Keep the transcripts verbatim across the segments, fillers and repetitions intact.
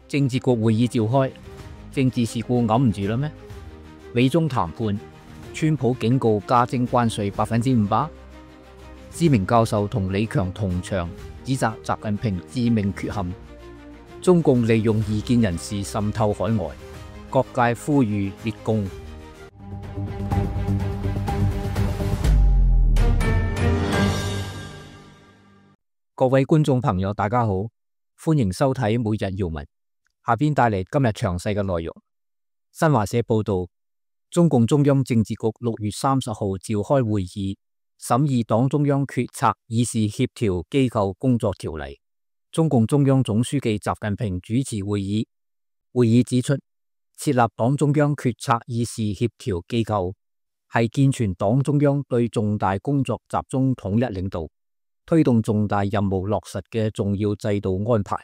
政治局會議召開，政治事故揞唔住啦咩？美中談判，川普警告加徵關稅百分之五百。知名教授同李強同場指責習近平致命缺陷。中共利用異見人士滲透海外，各界呼籲列共。各位觀眾朋友，大家好，歡迎收睇每日要聞。下邊帶嚟今日詳細嘅內容。新華社報道，中共中央政治局六月三十號召開會議，審議黨中央決策議事協調機構工作條例。中共中央總書記習近平主持會議。會議指出，設立黨中央決策議事協調機構係健全黨中央對重大工作集中統一領導，推動重大任務落實嘅重要制度安排。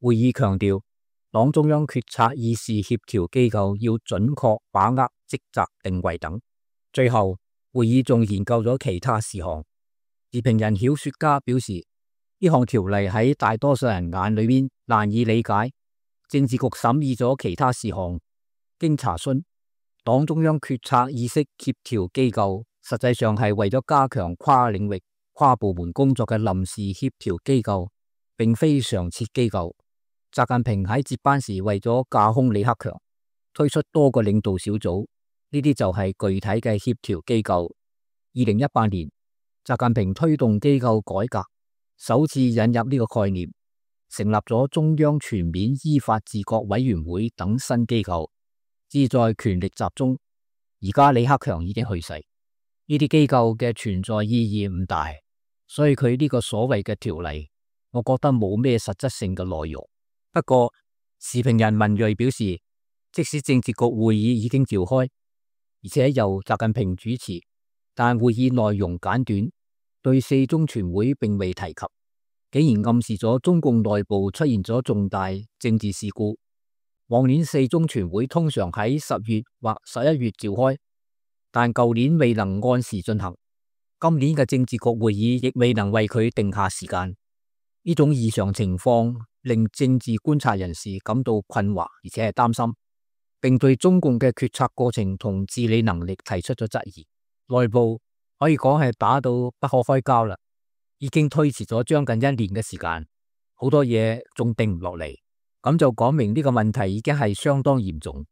會議強調，黨中央決策議事協調機構要準確把握職責定位等。最後，會議仲研究咗其他事項。時評人曉雪家表示，呢項條例喺大多數人眼裏邊難以理解。政治局審議咗其他事項，經查詢，黨中央決策議事協調機構實際上係為咗加強跨領域、跨部門工作嘅臨時協調機構，並非常設機構。習近平喺接班時為咗架空李克強，推出多個領導小組，呢啲就係具體嘅協調機構。二零一八年，習近平推動機構改革，首次引入呢個概念，成立咗中央全面依法治國委員會等新機構，旨在權力集中。而家李克強已經去世，呢啲機構嘅存在意義唔大，所以佢呢個所謂嘅條例，我覺得冇咩實質性嘅內容。不過，時評人文銳表示，即使政治局會議已經召開，而且由習近平主持，但會議內容簡短，對四中全會並未提及，竟然暗示咗中共內部出現咗重大政治事故。往年四中全會通常喺十月或十一月召開，但舊年未能按時進行，今年嘅政治局會議亦未能為佢定下時間。呢種異常情況令政治觀察人士感到困惑，而且係擔心，並對中共嘅決策過程同治理能力提出咗質疑。內部可以講係打到不可開交啦，已經推遲咗將近一年嘅時間，好多嘢仲定唔落嚟，咁就講明呢個問題已經係相當嚴重。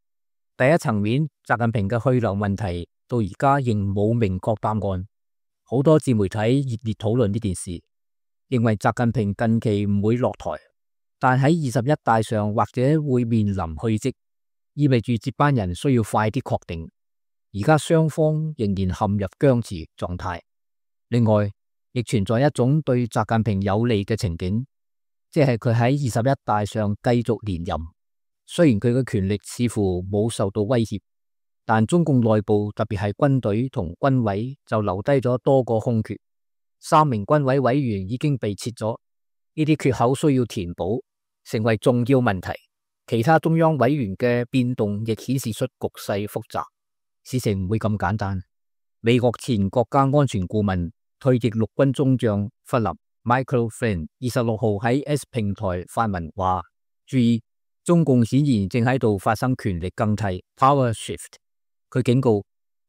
第一層面，習近平嘅去留問題到而家仍冇明確答案，好多自媒體熱烈討論呢件事，認為習近平近期唔會落台，但喺二十一大上或者會面臨去職，意味住接班人需要快啲確定。而家雙方仍然陷入僵持狀態。另外，亦存在一種對習近平有利嘅情景，即係佢喺二十一大上繼續連任。雖然佢嘅權力似乎冇受到威脅，但中共內部特別係軍隊同軍委就留低咗多個空缺。三名軍委委員已經被撤咗，呢啲缺口需要填補，成為重要問題。其他中央委員嘅變動亦顯示出局勢複雜，事情唔會咁簡單。美國前國家安全顧問、退役陸軍中將弗林 Michael Flynn 二十六號喺 X 平台發文話：注意，中共顯然正喺度發生權力更替 （power shift）。佢警告，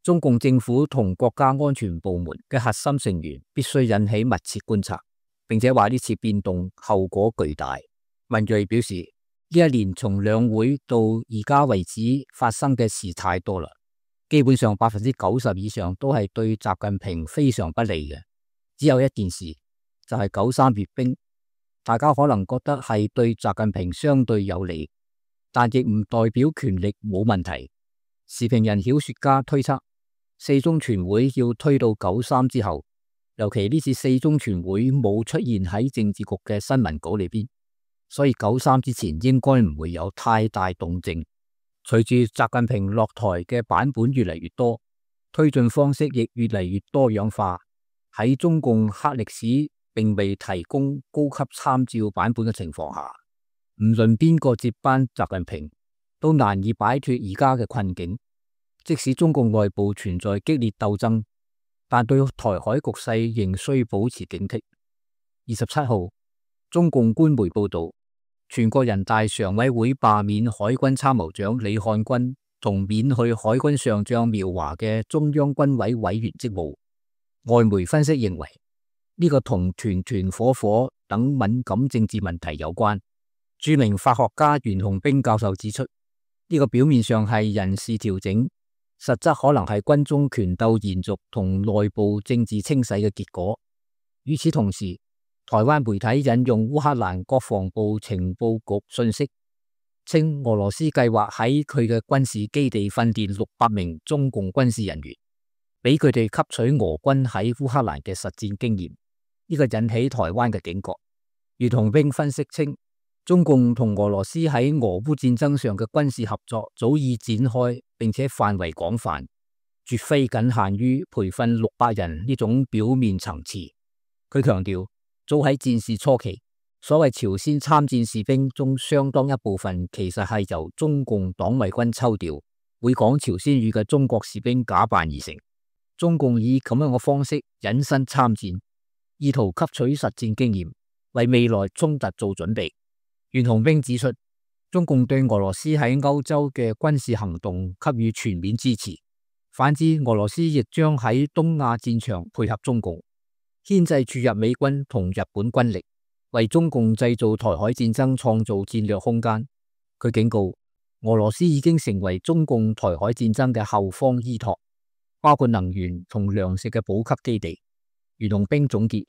中共政府同國家安全部門嘅核心成員必須引起密切觀察，並且話呢次變動後果巨大。文銳表示，呢一年從兩會到而家為止發生嘅事太多啦，基本上百分之九十以上都係對習近平非常不利嘅。只有一件事，就係九三閱兵，大家可能覺得係對習近平相對有利，但亦唔代表權力冇問題。時評人曉雪家推測，四中全會要推到九三之後，尤其呢次四中全會冇出現喺政治局嘅新聞稿裏邊，所以九三之前應該唔會有太大動靜。隨住習近平落台嘅版本越嚟越多，推進方式亦越嚟越多樣化，喺中共黑歷史並未提供高級參照版本嘅情況下，唔論邊個接班習近平，都難以擺脫而家嘅困境。即使中共內部存在激烈鬥爭，但對台海局勢仍需保持警惕。二十七號，中共官媒報道，全國人大常委會罷免海軍參謀長李漢軍同免去海軍上將苗華嘅中央軍委委員職務。外媒分析認為，呢、這個同團團伙伙等敏感政治問題有關。著名法學家袁洪兵教授指出，呢、這個表面上係人事調整，實則可能係軍中權鬥延續同內部政治清洗嘅結果。與此同時，台灣媒體引用烏克蘭國防部情報局信息，稱俄羅斯計劃喺佢嘅軍事基地訓練六百名中共軍事人員，俾佢哋吸取俄軍喺烏克蘭嘅實戰經驗。呢、這個引起台灣嘅警覺。袁洪兵分析稱，中共同俄羅斯喺俄烏戰爭上嘅軍事合作早已展開，並且範圍廣泛，絕非僅限於培訓六百人呢種表面層次。佢強調，早喺戰事初期，所謂朝鮮參戰士兵中相當一部分其實係由中共黨衛軍抽調，會講朝鮮語嘅中國士兵假扮而成。中共以咁樣嘅方式引申參戰，意圖吸取實戰經驗，為未來衝突做準備。袁洪兵指出，中共對俄羅斯喺歐洲嘅軍事行動給予全面支持，反之，俄羅斯亦將喺東亞戰場配合中共，牽制注入美軍同日本軍力，為中共製造台海戰爭創造戰略空間。佢警告，俄羅斯已經成為中共台海戰爭嘅後方依託，包括能源同糧食嘅補給基地。袁洪兵總結，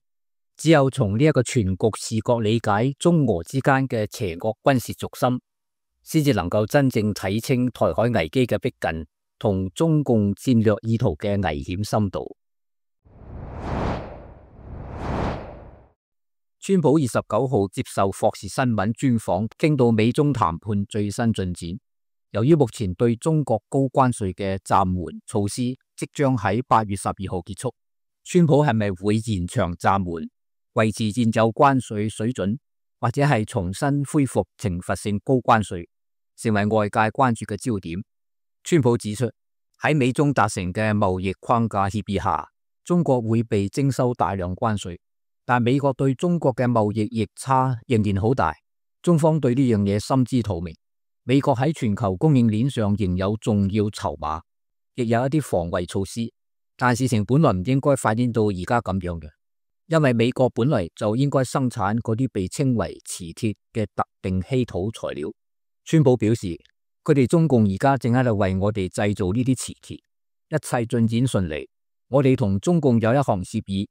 只有從呢一個全局視角理解中俄之間嘅邪惡軍事軸心，先至能夠真正睇清台海危機嘅逼近同中共戰略意圖嘅危險深度。川普二十九號接受霍士新聞專訪，傾到美中談判最新進展。由於目前對中國高關稅嘅暫緩措施即將喺八月十二號結束，川普係咪會延長暫緩，維持現有關稅水準，或者係重新恢復懲罰性高關稅，成為外界關注嘅焦點。川普指出，喺美中達成嘅貿易框架協議下，中國會被徵收大量關稅。但美國對中國嘅貿易逆差仍然好大，中方對呢樣嘢心知肚明。美國喺全球供應鏈上仍有重要籌碼，亦有一啲防衛措施，但事情本來唔應該發展到而家咁樣嘅，因為美國本來就應該生產嗰啲被稱為磁鐵嘅特定稀土材料。川普表示，佢哋中共而家正喺度為我哋製造呢啲磁鐵，一切進展順利。我哋同中共有一項協議。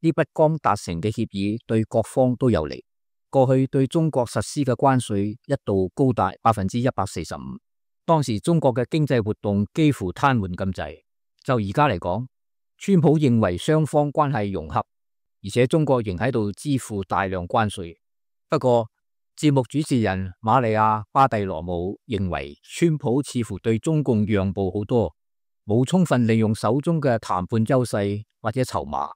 呢筆剛達成嘅協議對各方都有利。過去對中國實施嘅關稅一度高達百分之一百四十五，當時中國嘅經濟活動幾乎癱瘓咁滯。就而家嚟講，川普認為雙方關係融洽，而且中國仍喺度支付大量關稅。不過，節目主持人瑪利亞巴蒂羅姆認為，川普似乎對中共讓步好多，冇充分利用手中嘅談判優勢或者籌碼。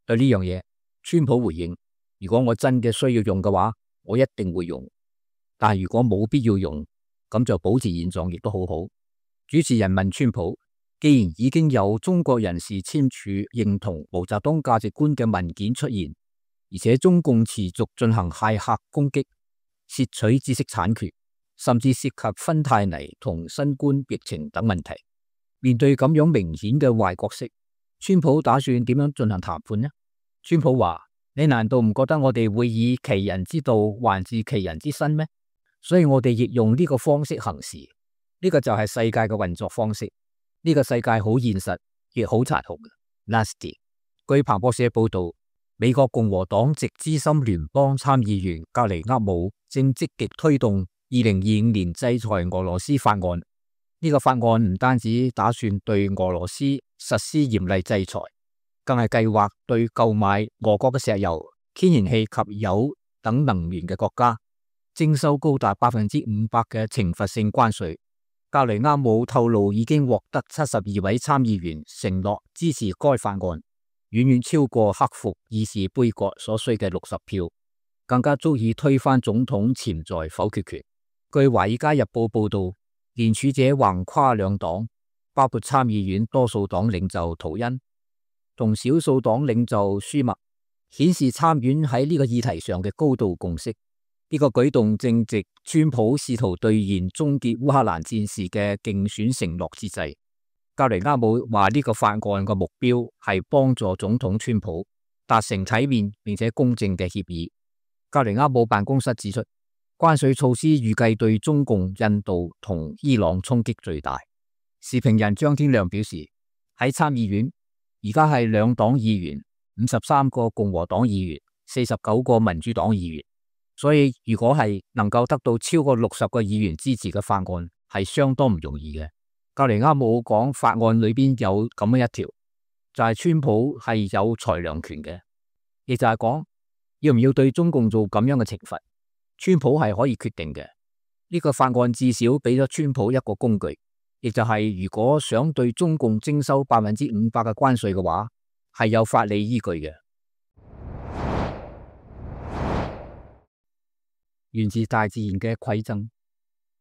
對呢樣嘢，川普回應：如果我真嘅需要用嘅話，我一定會用；但係如果冇必要用，咁就保持現狀亦都好好。主持人問川普：既然已經有中國人士簽署認同毛澤東價值觀嘅文件出現，而且中共持續進行駭客攻擊、竊取知識產權，甚至涉及芬太尼同新冠疫情等問題，面對咁樣明顯嘅壞角色，川普打算點樣進行談判呢？川普話：你難道唔覺得我哋會以其人之道還治其人之身咩？所以我哋亦用呢個方式行事。呢個就係世界嘅運作方式。呢個世界好現實，亦好殘酷。Nasty。據彭博社報道，美國共和黨籍資深聯邦參議員格尼厄姆正積極推動二零二五年制裁俄羅斯法案。呢個法案唔單止打算對俄羅斯實施嚴厲制裁，更係計劃對購買俄國嘅石油、天然氣及鈾等能源嘅國家徵收高達百分之五百嘅懲罰性關稅。格雷厄姆透露，已經獲得七十二位參議員承諾支持該法案，遠遠超過克服議事杯葛所需嘅六十票，更加足以推翻總統潛在否決權。據《華爾街日報》報道，聯署者橫跨兩黨，包括參議院多數黨領袖圖恩同少數黨領袖舒默，顯示參院喺呢個議題上嘅高度共識。呢個舉動正值川普試圖兌現終結烏克蘭戰事嘅競選承諾之際。格雷厄姆話呢個法案嘅目標係幫助總統川普達成體面並且公正嘅協議。格雷厄姆辦公室指出，關稅措施預計對中共、印度同伊朗衝擊最大。時評人張天亮表示，喺參議院而家係兩黨議員，五十三個共和黨議員，四十九個民主黨議員，所以如果係能夠得到超過六十個議員支持嘅法案，係相當唔容易嘅。格雷厄姆講法案裏邊有咁樣一條，就係川普係有裁量權嘅，亦就係講要唔要對中共做咁樣嘅懲罰，川普係可以決定嘅。呢個法案至少俾咗川普一個工具，亦就係如果想對中共徵收百分之五百嘅關稅嘅話，係有法理依據嘅。源自大自然嘅饋贈，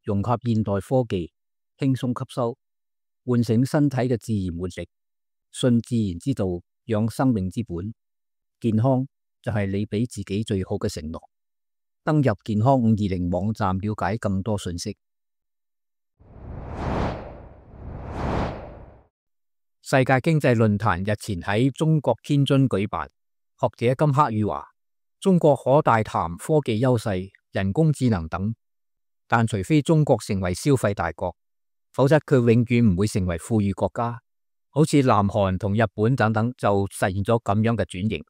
融合現代科技，輕鬆吸收，喚醒身體嘅自然活力，信自然之道，養生命之本。健康就係你俾自己最好嘅承諾。登入健康五二零網站了解更多信息。世界經濟論壇日前喺中國天津舉辦，學者金克宇話：中國可大談科技優勢、人工智能等，但除非中國成為消費大國，否則佢永遠唔會成為富裕國家。好似南韓同日本等等就實現咗咁樣嘅轉型。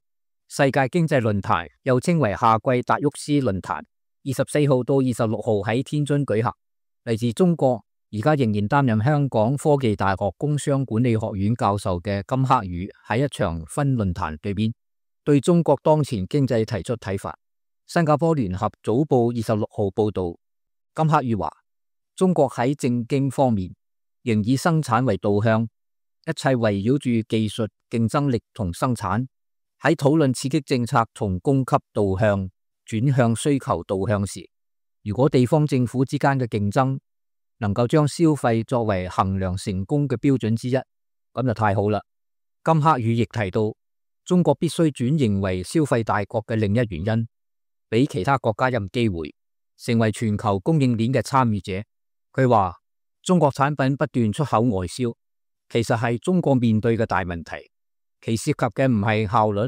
世界經濟論壇又稱為夏季達沃斯論壇，二十四號到二十六號喺天津舉行。嚟自中國，而家仍然擔任香港科技大學工商管理學院教授嘅金克宇喺一場分論壇對面，對中國當前經濟提出睇法。新加坡聯合早報二十六號報道，金克宇話：中國喺政經方面仍以生產為導向，一切圍繞住技術、競爭力同生產。喺討論刺激政策從供給導向轉向需求導向時，如果地方政府之間嘅競爭能夠將消費作為衡量成功嘅標準之一，咁就太好啦。金克宇亦提到，中國必須轉型為消費大國嘅另一原因，俾其他國家有機會成為全球供應鏈嘅參與者。佢話中國產品不斷出口外銷，其實係中國面對嘅大問題。其涉及嘅唔係效率，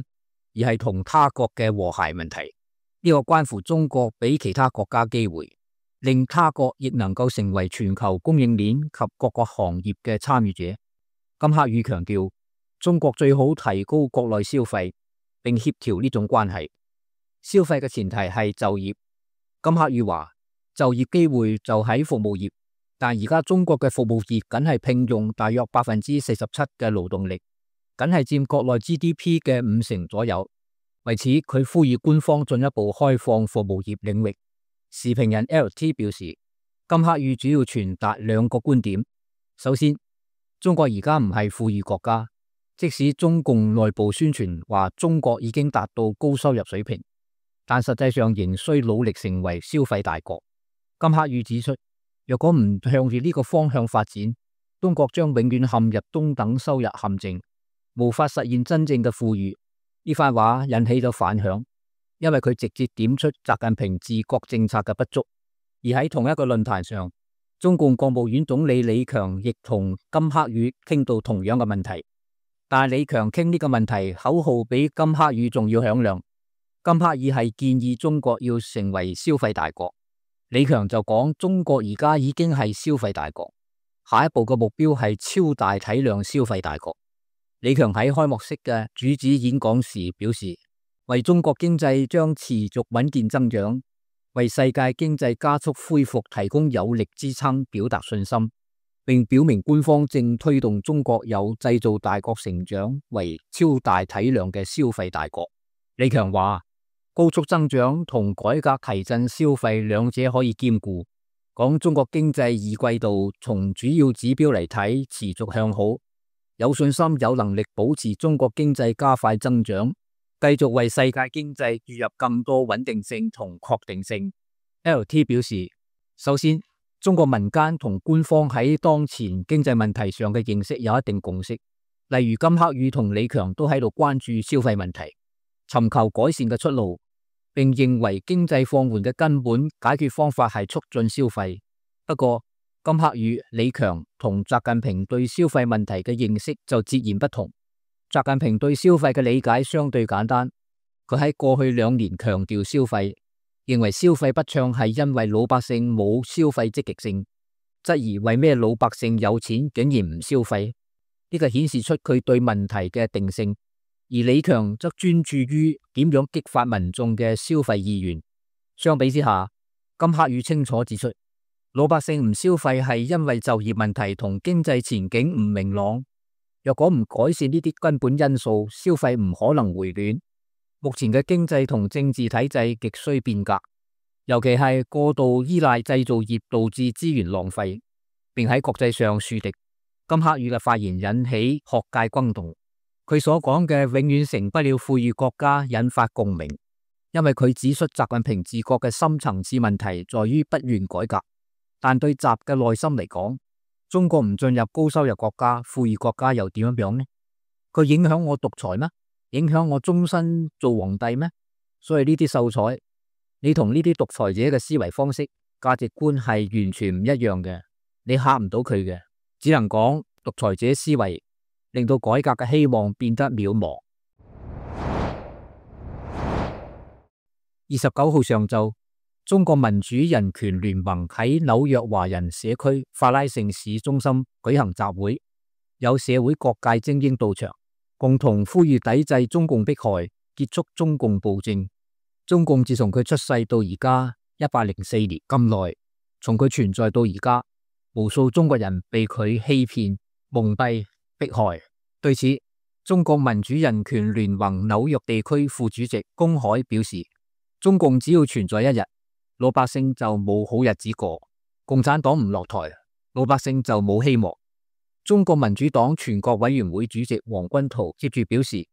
而係同他國嘅和諧問題。呢個關乎中國俾其他國家機會，令他國亦能夠成為全球供應鏈及各個行業嘅參與者。金克宇強調，中國最好提高國內消費，並協調呢種關係。消費嘅前提係就業。金克宇話，就業機會就喺服務業，但而家中國嘅服務業僅係聘用大約百分之四十七嘅勞動力，僅係佔國內 G D P 嘅五成左右。為此，佢呼籲官方進一步開放服務業領域。時評人 L T 表示，金克宇主要傳達兩個觀點。首先，中國而家唔係富裕國家，即使中共內部宣傳話中國已經達到高收入水平，但實際上仍需努力成為消費大國。金克宇指出，若果唔向住呢個方向發展，中國將永遠陷入中等收入陷阱，無法實現真正嘅富裕。呢番話引起咗反響，因為佢直接點出習近平治國政策嘅不足。而喺同一個論壇上，中共國務院總理李強亦同金克宇傾到同樣嘅問題，但係李強傾呢個問題口號比金克宇仲要響亮。金克宇係建議中國要成為消費大國，李強就講中國而家已經係消費大國，下一步嘅目標係超大體量消費大國。李強喺開幕式嘅主旨演講時表示，為中國經濟將持續穩健增長，為世界經濟加速恢復提供有力支撐表達信心，並表明官方正推動中國由製造大國成長為超大體量嘅消費大國。李強話，高速增長同改革提振消費兩者可以兼顧，講中國經濟二季度從主要指標嚟睇持續向好，有信心有能力保持中國經濟加快增長，繼續為世界經濟注入更多穩定性同確定性。L T 表示，首先，中國民間同官方喺當前經濟問題上嘅認識有一定共識，例如金克宇同李強都喺度關注消費問題，尋求改善嘅出路，並認為經濟放緩嘅根本解決方法係促進消費。不過，金克宇、李強同習近平對消費問題嘅認識就截然不同。習近平對消費嘅理解相對簡單，佢喺過去兩年強調消費，認為消費不暢係因為老百姓冇消費積極性，質疑為咩老百姓有錢竟然唔消費，呢個顯示出佢對問題嘅定性。而李強則專注於點樣激發民眾嘅消費意願。相比之下，金克宇清楚指出，老百姓唔消費係因為就業問題同經濟前景唔明朗。若果唔改善呢啲根本因素，消費唔可能回暖。目前嘅經濟同政治體制極需變革，尤其係過度依賴製造業導致資源浪費，並喺國際上樹敵。金克宇嘅發言引起學界轟動。佢所講嘅永遠成不了富裕國家引發共鳴，因為佢指出習近平治國嘅深層次問題在於不願改革。但對習嘅內心嚟講，中國唔進入高收入國家、富裕國家又點樣樣呢？佢影響我獨裁咩？影響我終身做皇帝咩？所以呢啲秀才，你同呢啲獨裁者嘅思維方式、價值觀係完全唔一樣嘅，你嚇唔到佢嘅，只能講獨裁者思維令到改革嘅希望變得渺茫。二十九號上晝，中國民主人權聯盟喺紐約華人社區法拉盛市中心舉行集會，有社會各界精英到場，共同呼籲抵制中共迫害，結束中共暴政。中共自從佢出世到而家一百零四年咁耐，從佢存在到而家，無數中國人被佢欺騙、蒙蔽、迫害。對此，中國民主人權聯盟紐約地區副主席龔海表示，中共只要存在一日，老百姓就冇好日子過。共產黨唔落台，老百姓就冇希望。中國民主黨全國委員會主席王軍濤接住表示，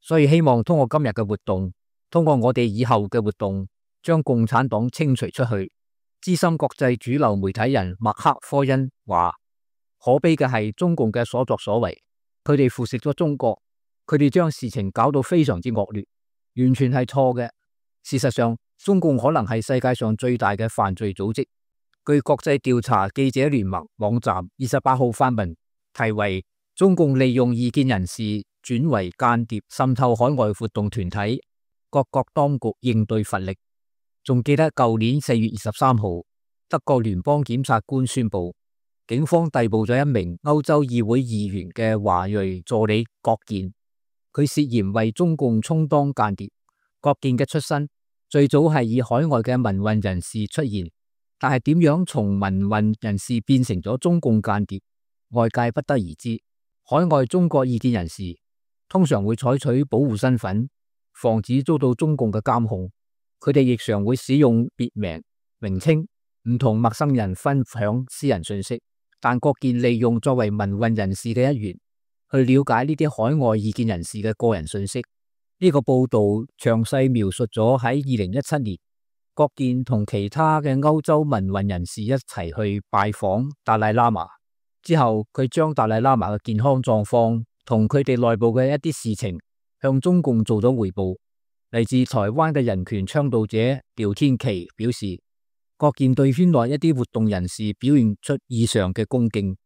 所以希望通過今日嘅活動，通過我哋以後嘅活動，將共產黨清除出去。資深國際主流媒體人麥克科恩話，可悲嘅係中共嘅所作所為，佢哋腐蝕咗中國，佢哋將事情搞到非常之惡劣，完全係錯嘅。事實上，中共可能係世界上最大嘅犯罪組織。據國際調查記者聯盟網站二十八號發文，題為中共利用異見人士轉為間諜滲透海外活動團體，各國當局應對乏力。仲記得舊年四月二十三號，德國聯邦檢察官宣布，警方逮捕咗一名歐洲議會議員嘅華裔助理郭健，佢涉嫌為中共充當間諜。郭健嘅出身最早係以海外嘅民運人士出現，但係點樣從民運人士變成咗中共間諜，外界不得而知。海外中國異見人士通常會採取保護身份，防止遭到中共嘅監控。佢哋亦常會使用別名、名稱，唔同陌生人分享私人信息。但郭健利用作為民運人士嘅一員，去了解呢啲海外異見人士嘅個人信息。呢個報道詳細描述咗喺二零一七年，郭健同其他嘅歐洲民運人士一齊去拜訪達賴喇嘛之後，佢將達賴喇嘛嘅健康狀況同佢哋內部嘅一啲事情向中共做咗匯報。嚟自台灣嘅人權倡導者廖天琪表示，郭健對圈內一啲活動人士表現出異常嘅恭敬，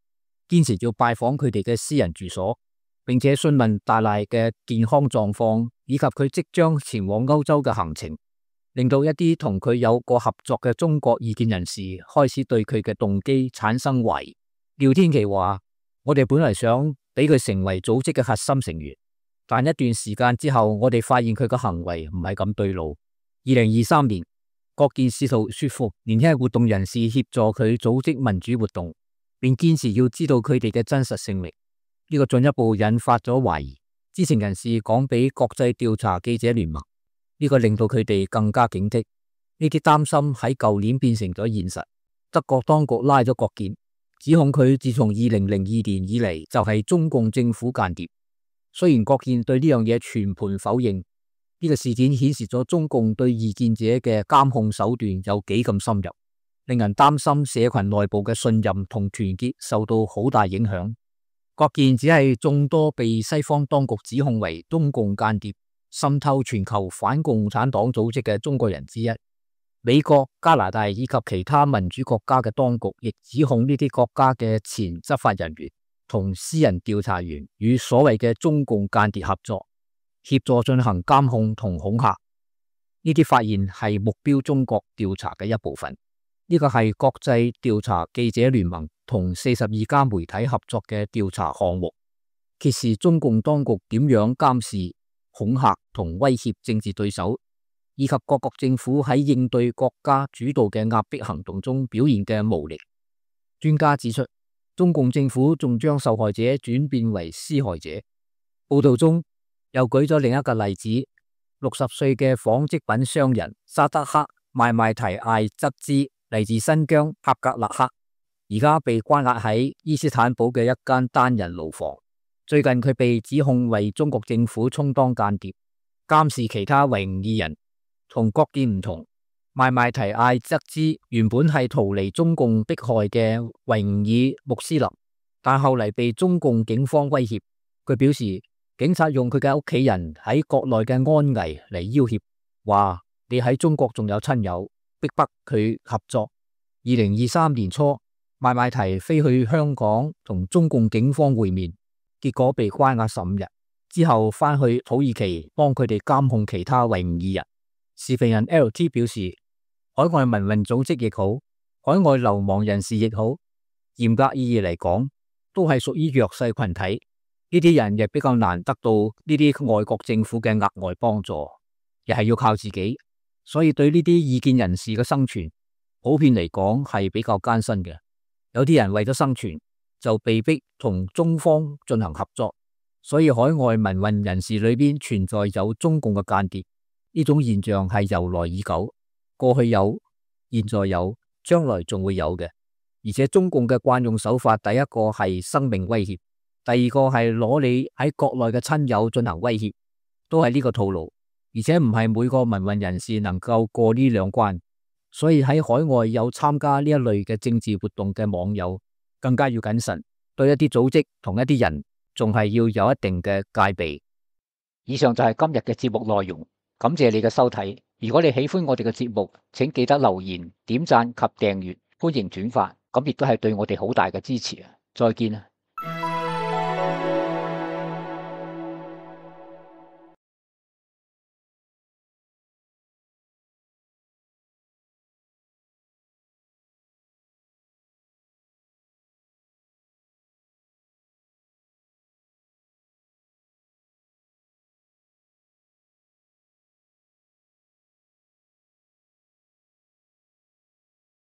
堅持要拜訪佢哋嘅私人住所，並且詢問達賴嘅健康狀況以及佢即將前往歐洲嘅行程，令到一啲同佢有過合作嘅中國異見人士開始對佢嘅動機產生懷疑。廖天琪話，我哋本來想俾佢成為組織嘅核心成員，但一段時間之後，我哋發現佢嘅行為唔係咁對路。二零二三年，郭健試圖說服年輕嘅活動人士協助佢組織民主活動，並堅持要知道佢哋嘅真實姓名。呢個進一步引發咗懷疑。知情人士講俾國際調查記者聯盟，呢個令到佢哋更加警惕。呢啲擔心喺舊年變成咗現實。德國當局拉咗郭健，指控佢自從二零零二年以嚟就係中共政府間諜。雖然郭健對呢樣嘢全盤否認，呢個事件顯示咗中共對異見者嘅監控手段有幾咁深入，令人擔心社群內部嘅信任同團結受到好大影響。郭健只係眾多被西方當局指控為中共間諜滲透全球反共產黨組織嘅中國人之一。美國、加拿大以及其他民主國家嘅當局亦指控呢啲國家嘅前執法人員同私人調查員與所謂嘅中共間諜合作，協助進行監控同恐嚇。呢啲發現係目標中國調查嘅一部分。呢個係國際調查記者聯盟同四十二家媒體合作嘅調查項目，揭示中共當局點樣監視、恐嚇同威脅政治對手，以及各國政府喺應對國家主導嘅壓迫行動中表現嘅無力。專家指出，中共政府仲將受害者轉變為施害者。報道中又舉咗另一個例子，六十歲嘅紡織品商人沙德克邁邁提艾則茲，嚟自新疆帕格勒克，而家被關押喺伊斯坦堡嘅一間單人牢房。最近佢被指控為中國政府充當間諜，監視其他維吾爾人。同郭建唔同，邁邁提艾則茲原本係逃離中共迫害嘅維吾爾穆斯林，但後嚟被中共警方威脅。佢表示，警察用佢嘅屋企人喺國內嘅安危嚟要挾，話你喺中國仲有親友，逼迫佢合作。二零二三年初，邁邁提飛去香港同中共警方會面，結果被關押十五日，之後翻去土耳其幫佢哋監控其他維吾爾人。時評人 L T 表示，海外民運組織亦好，海外流亡人士亦好，嚴格意義嚟講，都係屬於弱勢群體。呢啲人亦比較難得到呢啲外國政府嘅額外幫助，亦係要靠自己。所以對呢啲異見人士嘅生存，普遍嚟講係比較艱辛嘅。有啲人為咗生存，就被逼同中方進行合作。所以海外民運人士裏邊存在有中共嘅間諜。呢種現象係由來已久，過去有，現在有，將來仲會有嘅。而且中共嘅慣用手法，第一個係生命威脅，第二個係攞你喺國內嘅親友進行威脅，都係呢個套路。而且唔係每個民運人士能夠過呢兩關，所以喺海外有參加呢一類嘅政治活動嘅網友，更加要謹慎，對一啲組織同一啲人，仲係要有一定嘅戒備。以上就係今日嘅節目內容。感謝你嘅收睇，如果你喜歡我哋嘅節目，請記得留言、點讚及訂閱，歡迎轉發，咁亦都係對我哋好大嘅支持啊！再見啊！